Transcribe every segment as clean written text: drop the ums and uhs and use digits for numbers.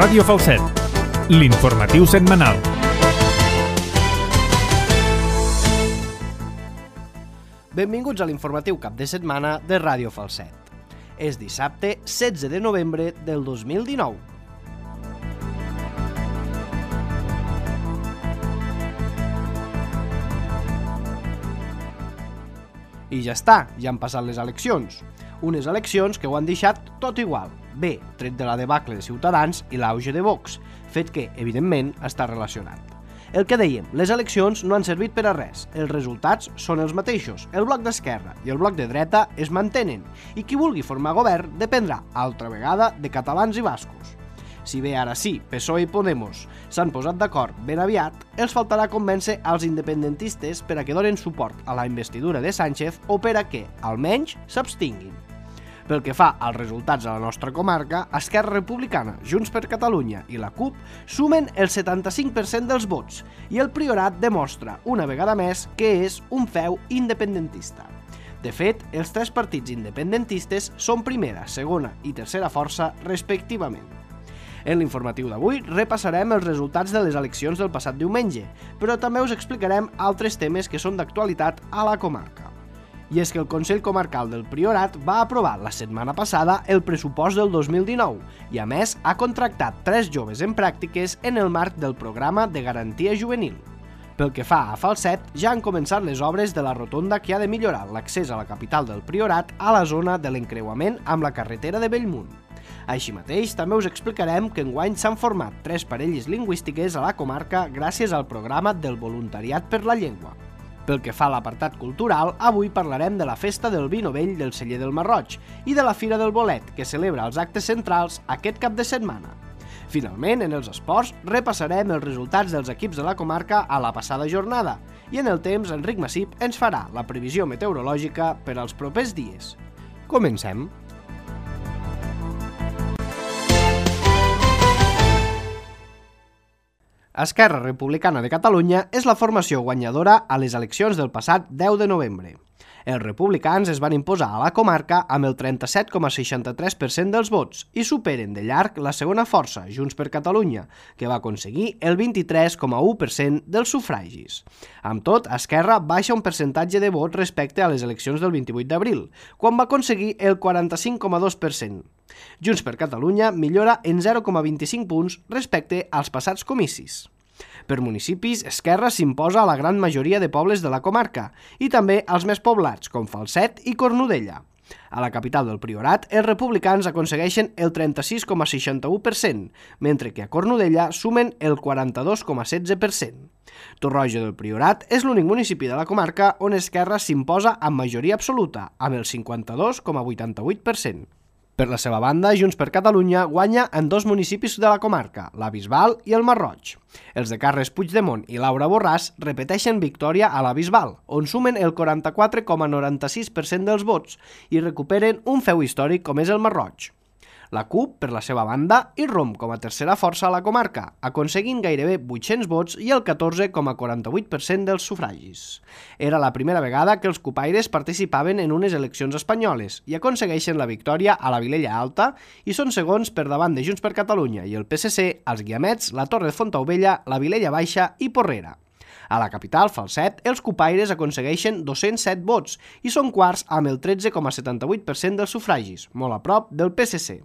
Ràdio Falset, l'informatiu setmanal. Benvinguts a l'informatiu cap de setmana de Ràdio Falset. És dissabte 16 de novembre del 2019. I ja està, ja han passat les eleccions. Unes eleccions que ho han deixat tot igual. Bé, tret de la debacle de Ciutadans i l'auge de Vox, fet que, evidentment, està relacionat. El que dèiem, les eleccions no han servit per a res. Els resultats són els mateixos. El bloc d'esquerra i el bloc de dreta es mantenen i qui vulgui formar govern dependrà, altra vegada, de catalans i bascos. Si bé ara sí, PSOE i Podemos s'han posat d'acord ben aviat, els faltarà convèncer als independentistes per a que donen suport a la investidura de Sánchez o per a que, almenys, s'abstinguin. Pel que fa als resultats a la nostra comarca, Esquerra Republicana, Junts per Catalunya i la CUP sumen el 75% dels vots i el Priorat demostra, una vegada més, que és un feu independentista. De fet, els tres partits independentistes són primera, segona i tercera força, respectivament. En l'informatiu d'avui repassarem els resultats de les eleccions del passat diumenge, però també us explicarem altres temes que són d'actualitat a la comarca. I és que el Consell Comarcal del Priorat va aprovar la setmana passada el pressupost del 2019 i, a més, ha contractat 3 joves en pràctiques en el marc del programa de garantia juvenil. Pel que fa a Falset, ja han començat les obres de la rotonda que ha de millorar l'accés a la capital del Priorat a la zona de l'encreuament amb la carretera de Bellmunt. Així mateix, també us explicarem que enguany s'han format 3 parelles lingüístiques a la comarca gràcies al programa del voluntariat per la llengua. Pel que fa a l'apartat cultural, avui parlarem de la festa del vi novell del Celler del Marroig i de la Fira del Bolet, que celebra els actes centrals aquest cap de setmana. Finalment, en els esports, repassarem els resultats dels equips de la comarca a la passada jornada i en el temps, Enric Massip ens farà la previsió meteorològica per als propers dies. Comencem. Esquerra Republicana de Catalunya és la formació guanyadora a les eleccions del passat 10 de novembre. Els republicans es van imposar a la comarca amb el 37,63% dels vots i superen de llarg la segona força, Junts per Catalunya, que va aconseguir el 23,1% dels sufragis. Amb tot, Esquerra baixa un percentatge de vots respecte a les eleccions del 28 d'abril, quan va aconseguir el 45,2%. Junts per Catalunya millora en 0,25 punts respecte als passats comicis. Per municipis, Esquerra s'imposa a la gran majoria de pobles de la comarca i també als més poblats, com Falset i Cornudella. A la capital del Priorat, els republicans aconsegueixen el 36,61%, mentre que a Cornudella sumen el 42,16%. Torroja del Priorat és l'únic municipi de la comarca on Esquerra s'imposa amb majoria absoluta, amb el 52,88%. Per la seva banda, Junts per Catalunya guanya en 2 municipis de la comarca, la Bisbal i el Marroig. Els de Carles Puigdemont i Laura Borràs repeteixen victòria a la Bisbal, on sumen el 44,96% dels vots i recuperen un feu històric com és el Marroig. La CUP, per la seva banda, irromp com a tercera força a la comarca, aconseguint gairebé 800 vots i el 14,48% dels sufragis. Era la primera vegada que els cupaires participaven en unes eleccions espanyoles i aconsegueixen la victòria a la Vilella Alta i són segons per davant de Junts per Catalunya i el PSC, els Guiamets, la Torre de Fontaubella, la Vilella Baixa i Porrera. A la capital, Falset, els cupaires aconsegueixen 207 vots i són quarts amb el 13,78% dels sufragis, molt a prop del PSC.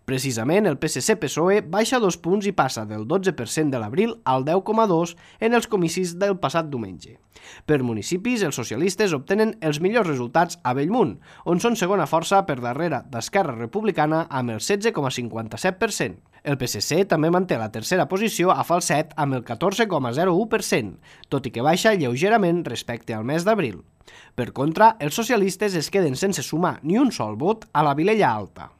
Precisament, el PSC-PSOE baixa 2 punts i passa del 12% de l'abril al 10,2% en els comicis del passat diumenge. Per municipis, els socialistes obtenen els millors resultats a Bellmunt, on són segona força per darrere d'Esquerra Republicana amb el 16,57%. El PSC també manté la tercera posició a Falset amb el 14,01%, tot i que baixa lleugerament respecte al mes d'abril. Per contra, els socialistes es queden sense sumar ni un sol vot a la Vilella Alta.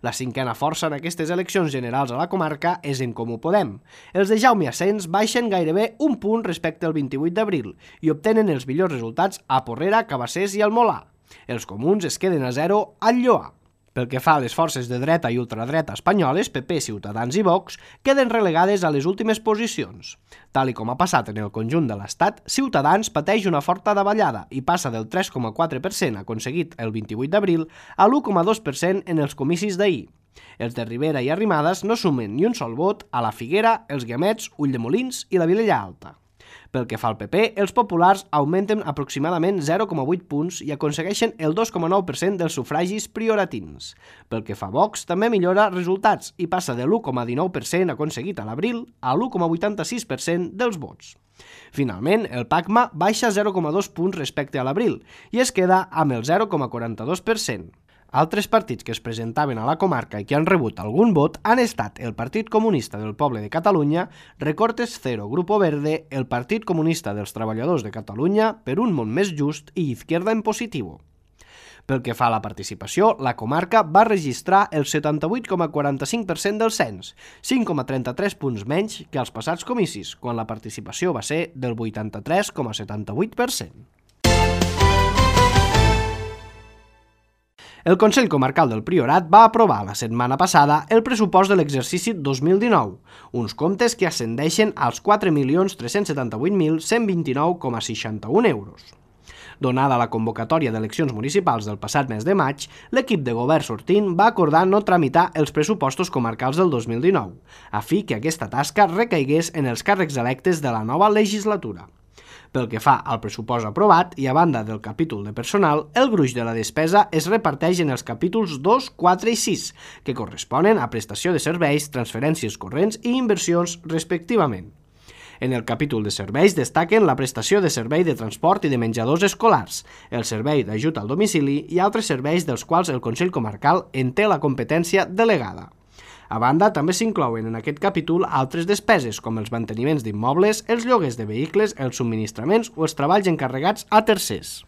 La cinquena força en aquestes eleccions generals a la comarca és En Comú Podem. Els de Jaume Asens baixen gairebé un punt respecte al 28 d'abril i obtenen els millors resultats a Porrera, Cabassers i al Molà. Els comuns es queden a 0 al Lloar. Pel que fa a les forces de dreta i ultradreta espanyoles, PP, Ciutadans i Vox, queden relegades a les últimes posicions. Tal i com ha passat en el conjunt de l'Estat, Ciutadans pateix una forta davallada i passa del 3,4% aconseguit el 28 d'abril a l'1,2% en els comicis d'ahir. Els de Ribera i Arrimadas no sumen ni un sol vot a la Figuera, els Guiamets, Ulldemolins i la Vilella Alta. Pel que fa al PP, els populars augmenten aproximadament 0,8 punts i aconsegueixen el 2,9% dels sufragis prioratins. Pel que fa a Vox, també millora resultats i passa de l'1,19% aconseguit a l'abril a l'1,86% dels vots. Finalment, el PACMA baixa 0,2 punts respecte a l'abril i es queda amb el 0,42%. Altres partits que es presentaven a la comarca i que han rebut algun vot han estat el Partit Comunista del Poble de Catalunya, Recortes Cero, Grupo Verde, el Partit Comunista dels Treballadors de Catalunya, Per un món més just i Izquierda en Positivo. Pel que fa a la participació, la comarca va registrar el 78,45% del cens, 5,33 punts menys que als passats comicis, quan la participació va ser del 83,78%. El Consell Comarcal del Priorat va aprovar la setmana passada el pressupost de l'exercici 2019, uns comptes que ascendeixen als 4.378.129,61 euros. Donada la convocatòria d'eleccions municipals del passat mes de maig, l'equip de govern sortint va acordar no tramitar els pressupostos comarcals del 2019, a fi que aquesta tasca recaigués en els càrrecs electes de la nova legislatura. Pel que fa al pressupost aprovat i a banda del capítol de personal, el gruix de la despesa es reparteix en els capítols 2, 4 i 6, que corresponen a prestació de serveis, transferències corrents i inversions respectivament. En el capítol de serveis destaquen la prestació de servei de transport i de menjadors escolars, el servei d'ajut al domicili i altres serveis dels quals el Consell Comarcal en té la competència delegada. A banda, també s'inclouen en aquest capítol altres despeses, com els manteniments d'immobles, els lloguers de vehicles, els subministraments o els treballs encarregats a tercers.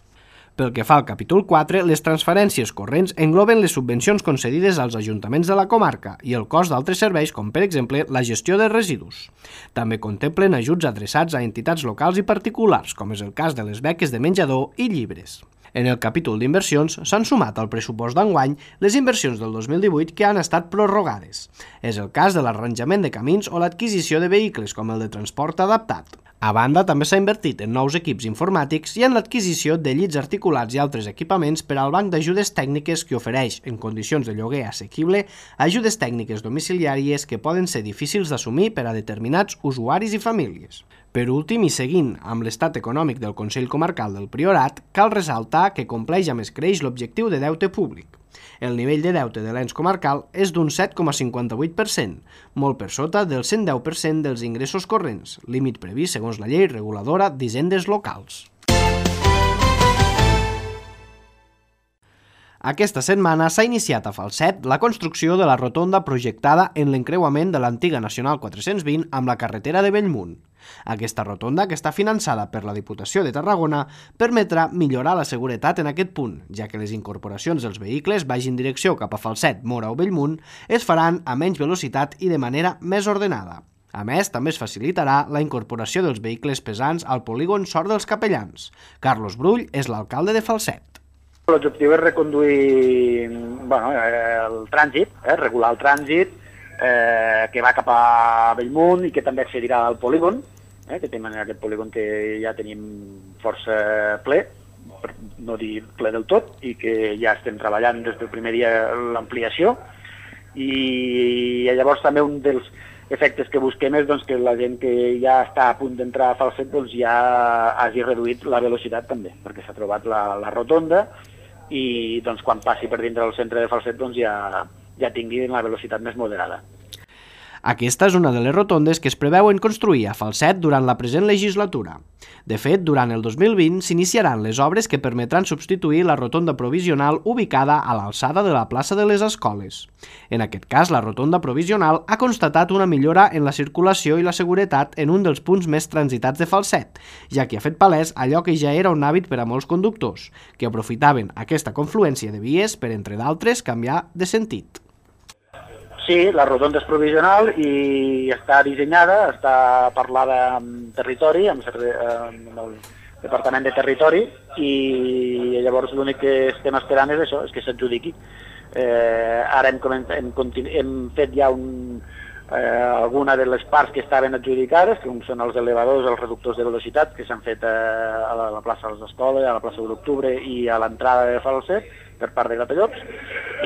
Pel que fa al capítol 4, les transferències corrents engloben les subvencions concedides als ajuntaments de la comarca i el cost d'altres serveis, com per exemple la gestió de residus. També contemplen ajuts adreçats a entitats locals i particulars, com és el cas de les beques de menjador i llibres. En el capítol d'inversions s'han sumat al pressupost d'enguany les inversions del 2018 que han estat prorrogades. És el cas de l'arranjament de camins o l'adquisició de vehicles com el de transport adaptat. A banda, també s'ha invertit en nous equips informàtics i en l'adquisició de llits articulats i altres equipaments per al banc d'ajudes tècniques que ofereix, en condicions de lloguer assequible, ajudes tècniques domiciliàries que poden ser difícils d'assumir per a determinats usuaris i famílies. Per últim, i seguint amb l'estat econòmic del Consell Comarcal del Priorat, cal ressaltar que compleix amb escreix l'objectiu de deute públic. El nivell de deute de l'ens comarcal és d'un 7,58%, molt per sota del 110% dels ingressos corrents, límit previst segons la llei reguladora d'hisendes locals. Aquesta setmana s'ha iniciat a Falset la construcció de la rotonda projectada en l'encreuament de l'antiga Nacional 420 amb la carretera de Bellmunt. Aquesta rotonda, que està finançada per la Diputació de Tarragona, permetrà millorar la seguretat en aquest punt, ja que les incorporacions dels vehicles vagin direcció cap a Falset, Móra o Bellmunt es faran a menys velocitat i de manera més ordenada. A més, també es facilitarà la incorporació dels vehicles pesants al polígon Sort dels Capellans. Carlos Brull és l'alcalde de Falset. L'objectiu és reconduir el trànsit, regular el trànsit que va cap a Bellmunt i que també accedirà al polígon, que tenim aquest polígon que ja tenim força ple, per no dir ple del tot, i que ja estem treballant des del primer dia l'ampliació. I llavors també un dels efectes que busquem és que la gent que ja està a punt d'entrar a Falset ja hagi reduït la velocitat també, perquè s'ha trobat la rotonda i quan passi per dintre del centre de Falset ja tingui la velocitat més moderada. Aquesta és una de les rotondes que es preveuen construir a Falset durant la present legislatura. De fet, durant el 2020 s'iniciaran les obres que permetran substituir la rotonda provisional ubicada a l'alçada de la plaça de les Escoles. En aquest cas, la rotonda provisional ha constatat una millora en la circulació i la seguretat en un dels punts més transitats de Falset, ja que ha fet palès allò que ja era un hàbit per a molts conductors, que aprofitaven aquesta confluència de vies per, entre d'altres, canviar de sentit. Sí, la rotonda és provisional i està dissenyada, està parlada amb territori, amb el Departament de Territori, i llavors l'únic que estem esperant és això, és que s'adjudiqui. Ara hem fet ja alguna de les parts que estaven adjudicades, que són els elevadors, els reductors de velocitat, que s'han fet a la plaça de les Escoles, a la plaça de l'Octubre i a l'entrada de Falset per part de Gratallops,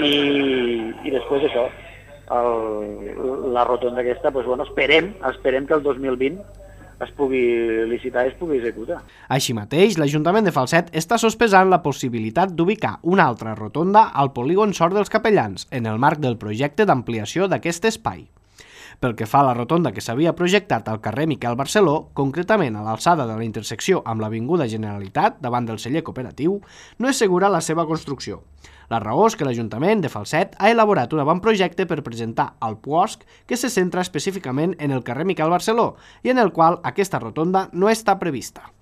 i després això, la rotonda aquesta, doncs, bueno, esperem que el 2020 es pugui licitar i es pugui executar. Així mateix, l'Ajuntament de Falset està sospesant la possibilitat d'ubicar una altra rotonda al polígon Sort dels Capellans, en el marc del projecte d'ampliació d'aquest espai. Pel que fa a la rotonda que s'havia projectat al carrer Miquel Barceló, concretament a l'alçada de la intersecció amb l'Avinguda Generalitat, davant del celler cooperatiu, no és segura la seva construcció. La raó és que l'Ajuntament de Falset ha elaborat un avantprojecte per presentar al PUOSC que se centra específicament en el carrer Miquel Barceló i en el qual aquesta rotonda no està prevista.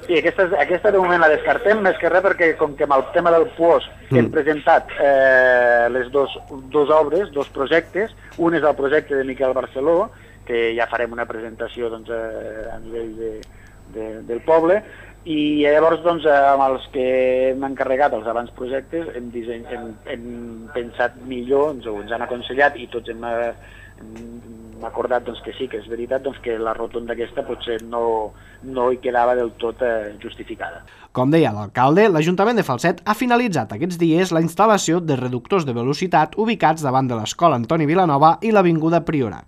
Sí, aquesta de moment la descartem, més que res perquè com que amb el tema del PUOSC hem presentat les dos obres, dos projectes, un és el projecte de Miquel Barceló, que ja farem una presentació doncs, a nivell del poble, i llavors doncs, amb els que hem encarregat els abans projectes hem pensat millor, ens han aconsellat i tots hem acordat doncs, que sí, que és veritat doncs, que la rotonda aquesta potser no hi quedava del tot justificada. Com deia l'alcalde, l'Ajuntament de Falset ha finalitzat aquests dies la instal·lació de reductors de velocitat ubicats davant de l'Escola Antoni Vilanova i l'Avinguda Priorat.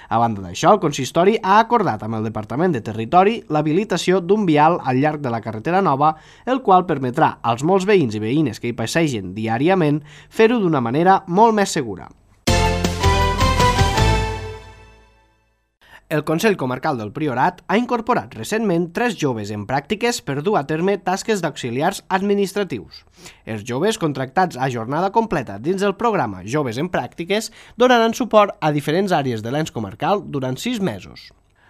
A banda d'això, el consistori ha acordat amb el Departament de Territori l'habilitació d'un vial al llarg de la carretera nova, el qual permetrà als molts veïns i veïnes que hi passegen diàriament fer-ho d'una manera molt més segura. El Consell Comarcal del Priorat ha incorporat recentment 3 joves en pràctiques per dur a terme tasques d'auxiliars administratius. Els joves contractats a jornada completa dins del programa Joves en Pràctiques donaran suport a diferents àrees de l'ens comarcal durant 6 mesos.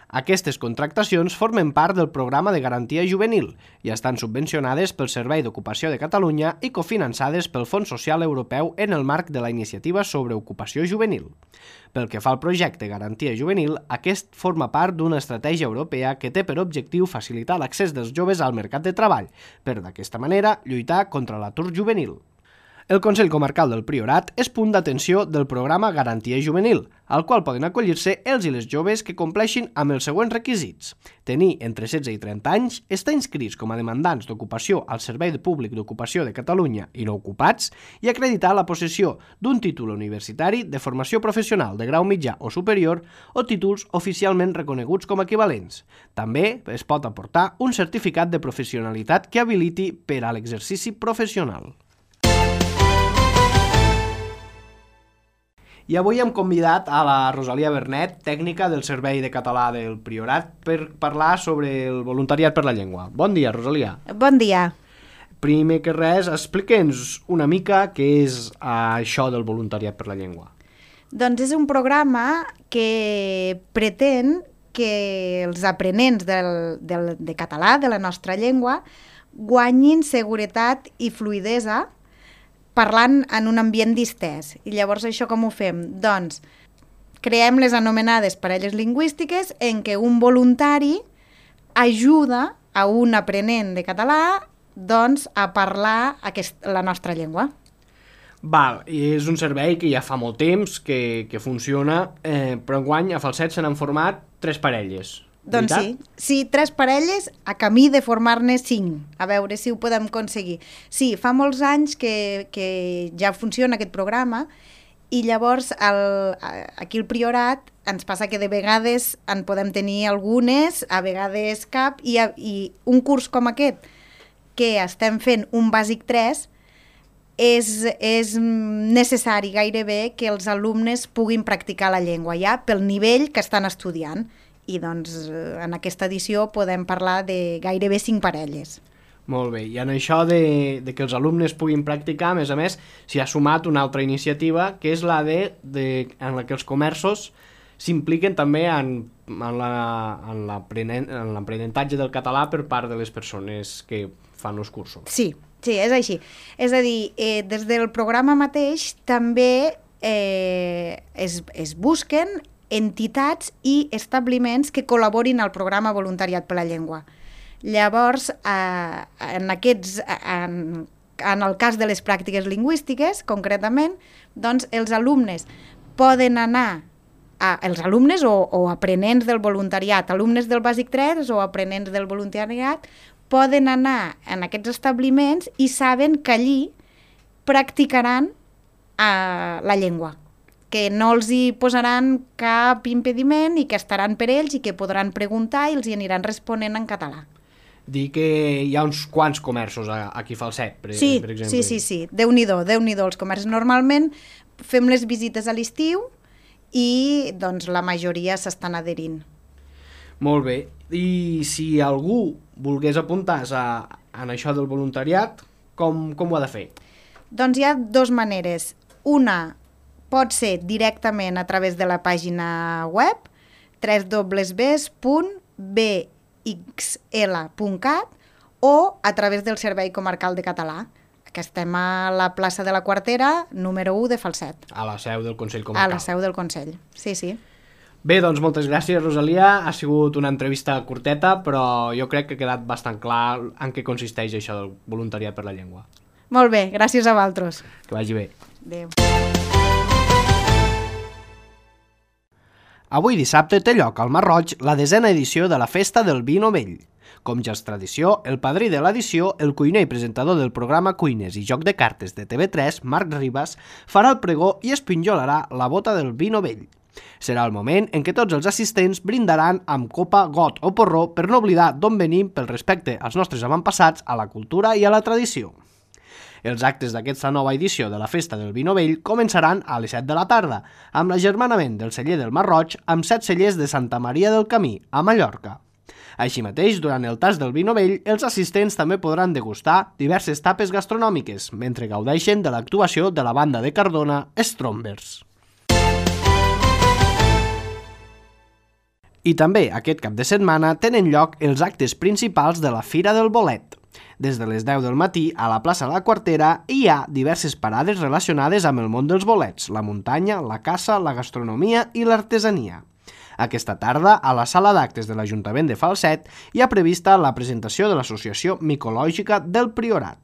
Aquestes contractacions formen part del programa de garantia juvenil i estan subvencionades pel Servei d'Ocupació de Catalunya i cofinançades pel Fons Social Europeu en el marc de la Iniciativa sobre Ocupació Juvenil. Pel que fa al projecte Garantia Juvenil, aquest forma part d'una estratègia europea que té per objectiu facilitar l'accés dels joves al mercat de treball, per d'aquesta manera lluitar contra l'atur juvenil. El Consell Comarcal del Priorat és punt d'atenció del programa Garantia Juvenil, al qual poden acollir-se els i les joves que compleixin amb els següents requisits: tenir entre 16 i 30 anys, estar inscrits com a demandants d'ocupació al Servei Públic d'Ocupació de Catalunya i no ocupats i acreditar la possessió d'un títol universitari de formació professional de grau mitjà o superior o títols oficialment reconeguts com equivalents. També es pot aportar un certificat de professionalitat que habiliti per a l'exercici professional. I avui hem convidat a la Rosalia Bernet, tècnica del Servei de Català del Priorat, per parlar sobre el voluntariat per la llengua. Bon dia, Rosalia. Bon dia. Primer que res, explica'ns una mica què és això del voluntariat per la llengua. Doncs és un programa que pretén que els aprenents de català, de la nostra llengua, guanyin seguretat i fluïdesa parlant en un ambient distès. I llavors això com ho fem? Doncs creem les anomenades parelles lingüístiques en què un voluntari ajuda a un aprenent de català doncs, a parlar la nostra llengua. Val, i és un servei que ja fa molt temps que funciona, però enguany a Falset se n'han format 3 parelles. Doncs sí, 3 parelles a camí de formar-ne 5, a veure si ho podem aconseguir. Sí, fa molts anys que ja funciona aquest programa i llavors aquí al Priorat ens passa que de vegades en podem tenir algunes, a vegades cap, i un curs com aquest, que estem fent un bàsic 3, és necessari gairebé que els alumnes puguin practicar la llengua ja pel nivell que estan estudiant. I doncs en aquesta edició podem parlar de gairebé 5 parelles. Molt bé, i en això de que els alumnes puguin practicar, a més, s'hi ha sumat una altra iniciativa, que és la en la que els comerços s'impliquen també en l'aprenentatge del català per part de les persones que fan els cursos. Sí, és així. És a dir, des del programa mateix també es busquen entitats i establiments que col·laborin al programa Voluntariat per la Llengua. Llavors, en el cas de les pràctiques lingüístiques, concretament, doncs els alumnes poden anar, els alumnes o aprenents del voluntariat, alumnes del bàsic 3 o aprenents del voluntariat, poden anar en aquests establiments i saben que allí practicaran la llengua. que no els hi posaran cap impediment i que estaran per ells i que podran preguntar i els hi aniran responent en català. Dir que hi ha uns quants comerços aquí a Falset, per exemple. Sí. Déu-n'hi-do els comerços. Normalment fem les visites a l'estiu i doncs, la majoria s'estan adherint. Molt bé. I si algú volgués apuntar-se en això del voluntariat, com ho ha de fer? Doncs hi ha dues maneres. Una pot ser directament a través de la pàgina web www.bxl.cat o a través del Servei Comarcal de Català, que estem a la plaça de la Quartera, número 1 de Falset. A la seu del Consell Comarcal. A la seu del Consell, sí. Bé, doncs moltes gràcies, Rosalia. Ha sigut una entrevista curteta, però jo crec que ha quedat bastant clar en què consisteix això del voluntariat per la llengua. Molt bé, gràcies a vosaltres. Que vagi bé. Adéu. Avui dissabte té lloc al Masroig la 10a edició de la Festa del Vi Novell. Com ja és tradició, el padrí de l'edició, el cuiner i presentador del programa Cuines i Joc de Cartes de TV3, Marc Ribas, farà el pregó i espinjolarà la bota del vi novell. Serà el moment en què tots els assistents brindaran amb copa, got o porró per no oblidar d'on venim pel respecte als nostres avantpassats, a la cultura i a la tradició. Els actes d'aquesta nova edició de la Festa del Vi Novell començaran a les 7 de la tarda, amb l'agermanament del celler del Masroig amb 7 cellers de Santa Maria del Camí, a Mallorca. Així mateix, durant el tas del vi novell, els assistents també podran degustar diverses tapes gastronòmiques, mentre gaudeixen de l'actuació de la banda de Cardona, Strombers. I també aquest cap de setmana tenen lloc els actes principals de la Fira del Bolet. Des de les 10 del matí a la plaça de la Quartera hi ha diverses parades relacionades amb el món dels bolets, la muntanya, la caça, la gastronomia i l'artesania. Aquesta tarda, a la sala d'actes de l'Ajuntament de Falset, hi ha prevista la presentació de l'Associació Micològica del Priorat.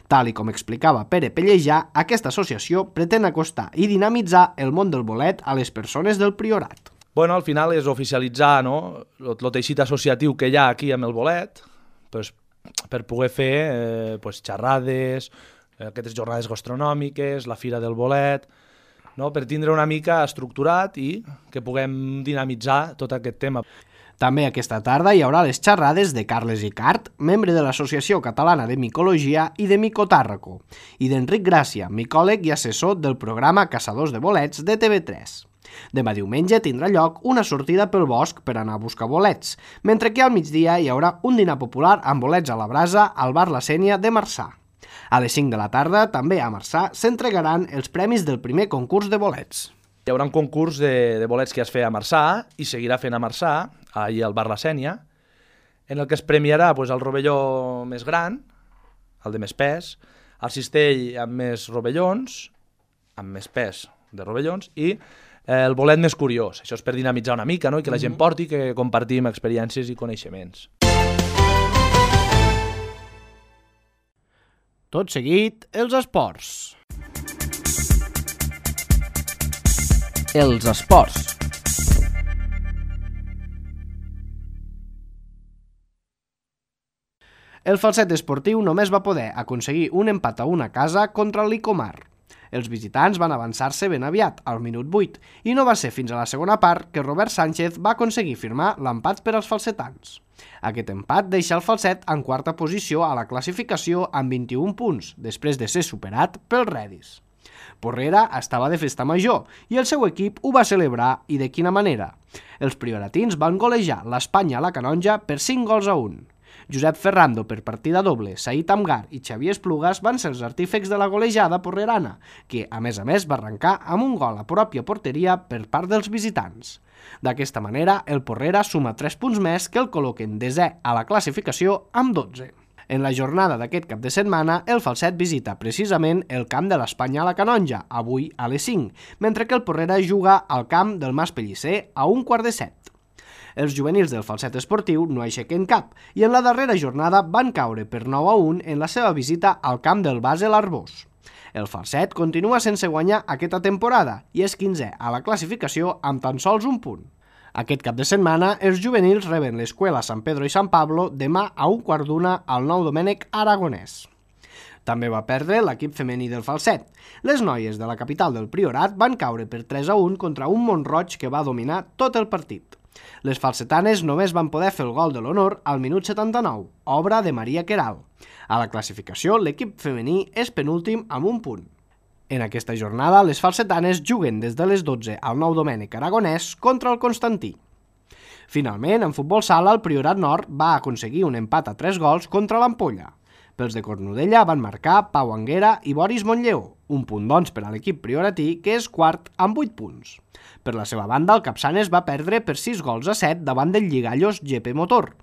Tal i com explicava Pere Pellejà, aquesta associació pretén acostar i dinamitzar el món del bolet a les persones del Priorat. Bueno, al final és oficialitzar, no?, el teixit associatiu que hi ha aquí amb el bolet, pues, per poder fer xerrades, aquestes jornades gastronòmiques, la Fira del Bolet, no?, per tindre una mica estructurat i que puguem dinamitzar tot aquest tema. També aquesta tarda hi haurà les xerrades de Carles Icart, membre de l'Associació Catalana de Micologia i de Micotàrraco, i d'Enric Gràcia, micòleg i assessor del programa Caçadors de Bolets de TV3. Demà diumenge tindrà lloc una sortida pel bosc per anar a buscar bolets, mentre que al migdia hi haurà un dinar popular amb bolets a la brasa al bar La Sénia de Marçà. A les 5 de la tarda, també a Marçà, s'entregaran els premis del primer concurs de bolets. Hi haurà un concurs de bolets que es feia a Marçà i seguirà fent a Marçà, allà al bar La Sénia, en el que es premiarà el rovelló més gran, el de més pes, el cistell amb més rovellons, amb més pes de rovellons, i el bolet més curiós. Això és per dinamitzar una mica, no?, i que la gent porti, que compartim experiències i coneixements. Tot seguit, els esports. Els esports. El Falset esportiu només va poder aconseguir un empat a 1 a casa contra el Licomar. Els visitants van avançar-se ben aviat, al minut 8, i no va ser fins a la segona part que Robert Sánchez va aconseguir firmar l'empat per als falsetans. Aquest empat deixa el Falset en quarta posició a la classificació amb 21 punts, després de ser superat pel Redis. Porrera estava de festa major i el seu equip ho va celebrar, i de quina manera. Els prioratins van golejar l'Espanya a la Canonja per 5 gols a 1. Josep Ferrando per partida doble, Saïd Amgar i Xavier Esplugas van ser els artífecs de la golejada porrerana, que, a més, va arrencar amb un gol a pròpia porteria per part dels visitants. D'aquesta manera, el Porrera suma 3 punts més que el col·loquen desè a la classificació amb 12. En la jornada d'aquest cap de setmana, el Falset visita precisament el camp de l'Espanya a la Canonja, avui a les 5, mentre que el Porrera juga al camp del Mas Pellicer a 1:15. Els juvenils del Falset esportiu no aixequen cap i en la darrera jornada van caure per 9-1 en la seva visita al camp del Basel Arbós. El Falset continua sense guanyar aquesta temporada i és 15è a la classificació amb tan sols un punt. Aquest cap de setmana, els juvenils reben l'Escuela San Pedro i San Pablo demà a 1:15 al Nou Domènec Aragonès. També va perdre l'equip femení del Falset. Les noies de la capital del Priorat van caure per 3-1 contra un Mont-roig que va dominar tot el partit. Les falsetanes només van poder fer el gol de l'honor al minut 79, obra de Maria Queral. A la classificació, l'equip femení és penúltim amb un punt. En aquesta jornada, les falsetanes juguen des de les 12 al Nou Domènec Aragonès contra el Constantí. Finalment, en futbol sala, el Priorat Nord va aconseguir un empat a 3 gols contra l'Ampolla. Pels de Cornudella van marcar Pau Anguera i Boris Montlleu, un punt doncs per a l'equip prioratí, que és quart amb 8 punts. Per la seva banda, el Capçanes va perdre per 6 gols a 7 davant del Lligallos GP Motor.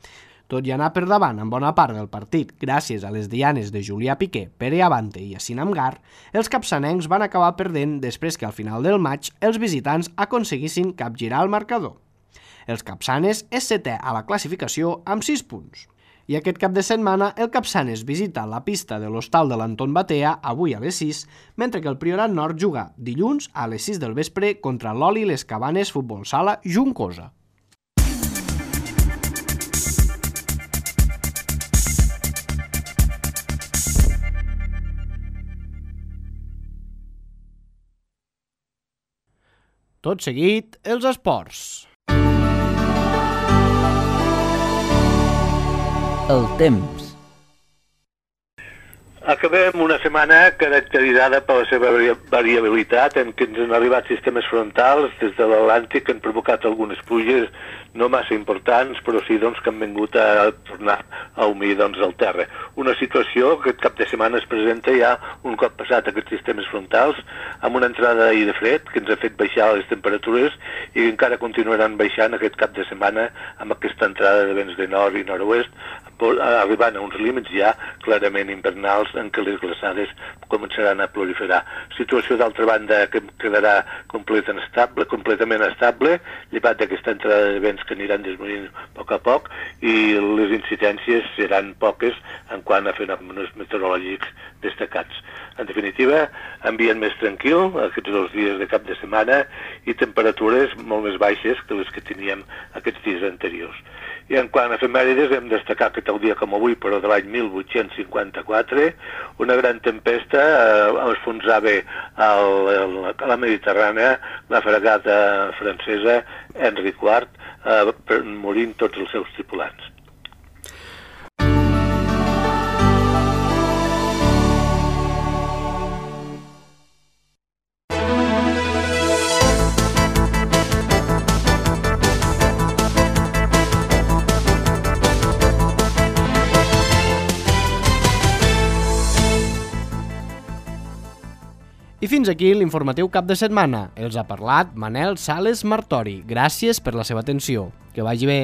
Tot i anar per davant en bona part del partit gràcies a les dianes de Julià Piqué, Pere Abante i Yacine Amgar, els capçanencs van acabar perdent després que al final del maig els visitants aconseguissin capgirar el marcador. Els Capçanes és setè a la classificació amb 6 punts. I aquest cap de setmana el Capçanes visita la pista de l'Hostal de l'Anton Batea avui a les 6, mentre que el Priorat Nord juga dilluns a les 6 del vespre contra l'Oli Les Cabanes Futbol Sala Juncosa. Tot seguit, els esports. El temps. Acabem una setmana caracteritzada per la seva variabilitat en què ens han arribat sistemes frontals des de l'Atlàntic que han provocat algunes pluges no massa importants, però sí doncs, que han vingut a tornar a humir doncs, el terra. Una situació que aquest cap de setmana es presenta ja un cop passat aquests sistemes frontals amb una entrada d'aire fred que ens ha fet baixar les temperatures i encara continuaran baixant aquest cap de setmana amb aquesta entrada de vents de nord i nord-oest, arribant a uns límits ja clarament invernals en què les glaçades començaran a proliferar. Situació d'altra banda que quedarà completament estable, llevat d'aquesta entrada de vents que aniran disminuint a poc i les incidències seran poques en quant a fenòmenos meteorològics destacats. En definitiva, ambient més tranquil aquests 2 dies de cap de setmana i temperatures molt més baixes que les que teníem aquests dies anteriors. I en quant a efemèrides, hem destacat que tal dia com avui, però de l'any 1854, una gran tempesta enfonsava a la Mediterrània la fragata francesa Henry IV, morint tots els seus tripulants. I fins aquí l'informatiu cap de setmana. Els ha parlat Manel Sales Martori. Gràcies per la seva atenció. Que vagi bé.